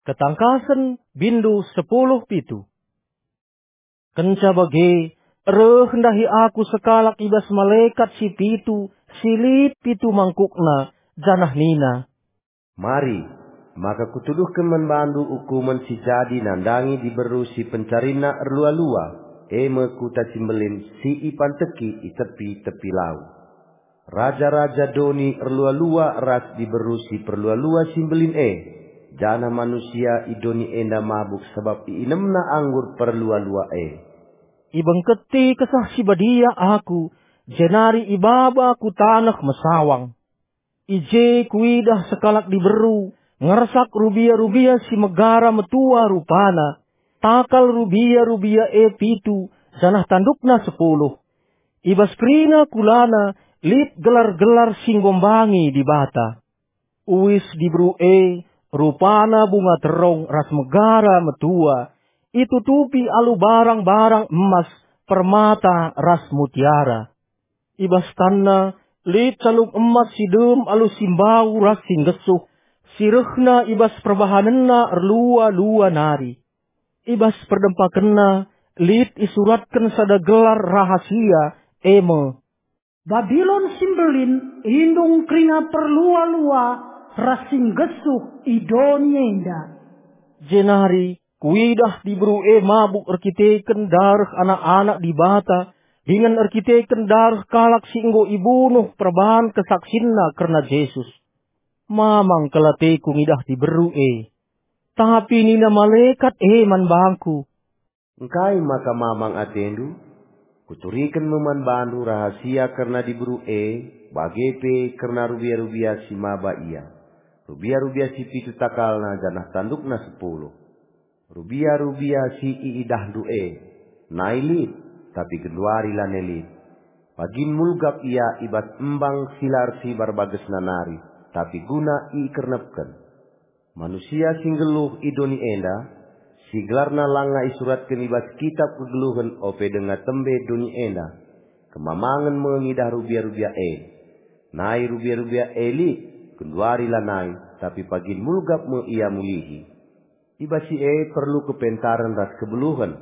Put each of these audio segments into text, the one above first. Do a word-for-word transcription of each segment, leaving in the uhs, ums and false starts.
Ketangkasen, bindu sepuluh pitu. Kenca bage, reh ndahi aku sekalak i bas malekat si pitu, si lit pitu mangkukna, janah nina, "Mari, maka kutuduhken man bandu ukumen si jadi nandangi diberu si pencarinna erlua-lua, e me kuta si mbelin si ipanteki i tepi-tepi lau. Raja-raja doni erlua-lua ras diberu si perlua-lua si mbelin e, janah manusia i doni enda mabuk sabap iinemna anggur perlua-lua e." Ibengketi Kesah Si Badia aku, jenari ibaba ku taneh mesawang. I je kuidah sekalak diberu, ngersak rubia-rubia si megara metua rupana, takal rubia-rubia e pitu, janah tandukna sepuluh. I bas kerina kulana lit gelar-gelar si nggombangi Dibata. Uis diberu e, rupana bunga terong ras megara metua, itutupi alu barang-barang emas, permata ras mutiara. I bas tanna lit calung emas si dem alu si mbau ras si nggesuh, si rehna i bas perbahanenna erlua-lua nari. I bas perdempakenna lit isuratken sada gelar rahasia, e me, "Babilon si Mbelin, indung kerina perlua-lua ras si nggesuh i doni enda." Jenari kuidah diberu e mabuk erkiteken dareh anak-anak Dibata, dingen erkiteken dareh kalak si enggo ibunuh perbahan kesaksinna kerna Jesus. Mamang kal ateku ngidah diberu e. Tapi nina malekat e man bangku, "Engkai maka mamang atendu? Kuturiken me man bandu rahasia kerna diberu e, bage pe kerna rubia-rubia si maba ia. Rubia-rubia si pitu takalna janah tandukna sepuluh. Rubia-rubia si iidahndu e, nai lit, tapi genduari lanai lit. Pagin mulgap ia i bas embang si la ersibar bagesna nari, tapi guna ikernepken. Manusia si nggeluh i doni enda, si gelarna langa isuratken i bas kitap kegeluhen ope denga tembe doni enda, kemamangen me ngidah rubia-rubia e. Nai rubia-rubia e lit, genduari lanai, tapi pagin mulgap me ia mulihi. I bas si e perlu kepentaren ras kebeluhen.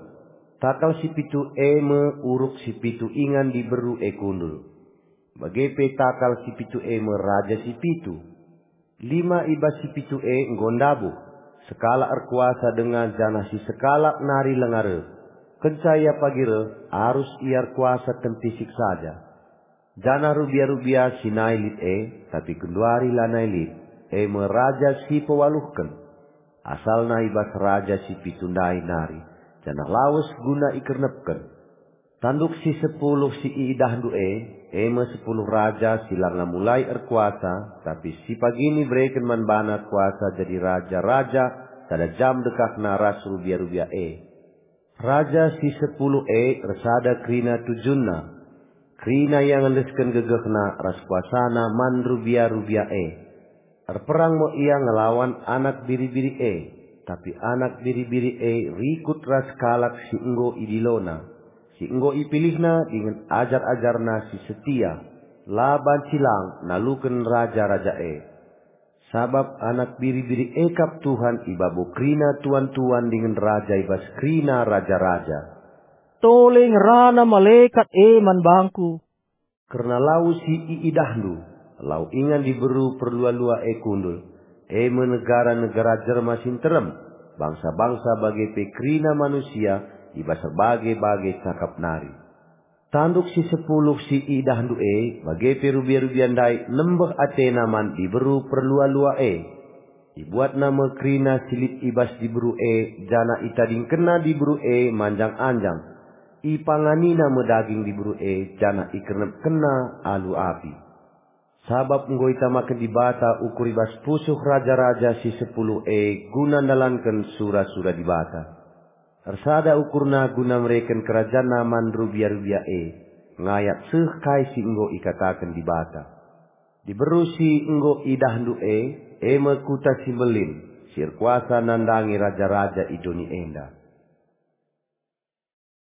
Takal si pitu e me uruk si pitu ingan diberu e kundul. Bage pe takal si pitu e me raja si pitu. Lima i bas si pitu e enggo ndabuh, sekalak erkuasa denga janah si sekalak nari langa reh. Kenca ia pagi reh, arus ia erkuasa kentisik saja. Janah rubia-rubia si nai lit e, tapi genduari lanai lit, e me raja si pewaluhken. Asalna i bas raja si pitu ndai nari, janah lawes guna ikernepken. Tanduk si sepuluh si iidahndu e, e me sepuluh raja si langa mulai erkuasa, tapi si pagin ibereken man bana kuasa jadi raja-raja sada jam dekahna ras rubia-rubia e. Raja si sepuluh e ersada kerina tujunna. Kerina ia ngendesken gegehna ras kuasana man rubia-rubia e. Erperang me ia ngelawan anak biri-biri e, tapi anak biri-biri e rikut ras kalak si enggo idilona, si enggo ipilihna dingen ajar-ajarna si setia, la banci lang naluken raja-raja e. Sabap anak biri-biri e kap Tuhan i babo kerina tuan-tuan dingen raja i bas kerina raja-raja. Tole ngerana malekat e man bangku. Kerna lau si iidahndu, lau ingan diberu perlua-lua e kundul, e me negara-negara jelma si nterem, bangsa-bangsa bage pe kerina manusia i bas erbage-bage cakap nari. Tanduk si sepuluh si iidahndu e, bage pe rubia-rubia ndai nembeh atena man diberu perlua-lua e. Ibuatna me kerina si lit i bas diberu e, janah itadingkenna diberu e manjang-anjang. Ipanganina me daging diberu e, janah ikernepkenna alu api. Sabap enggo itamaken Dibata ukur i bas pusuh raja-raja si sepuluh e guna ndalanken sura-sura Dibata. Ersada ukurna guna mereken kerajanna man rubia-rubia e, ngayak seh kai si enggo ikataken Dibata. Diberu si enggo idahndu e, e me kuta si mbelin, si erkuasa nandangi raja-raja i doni enda.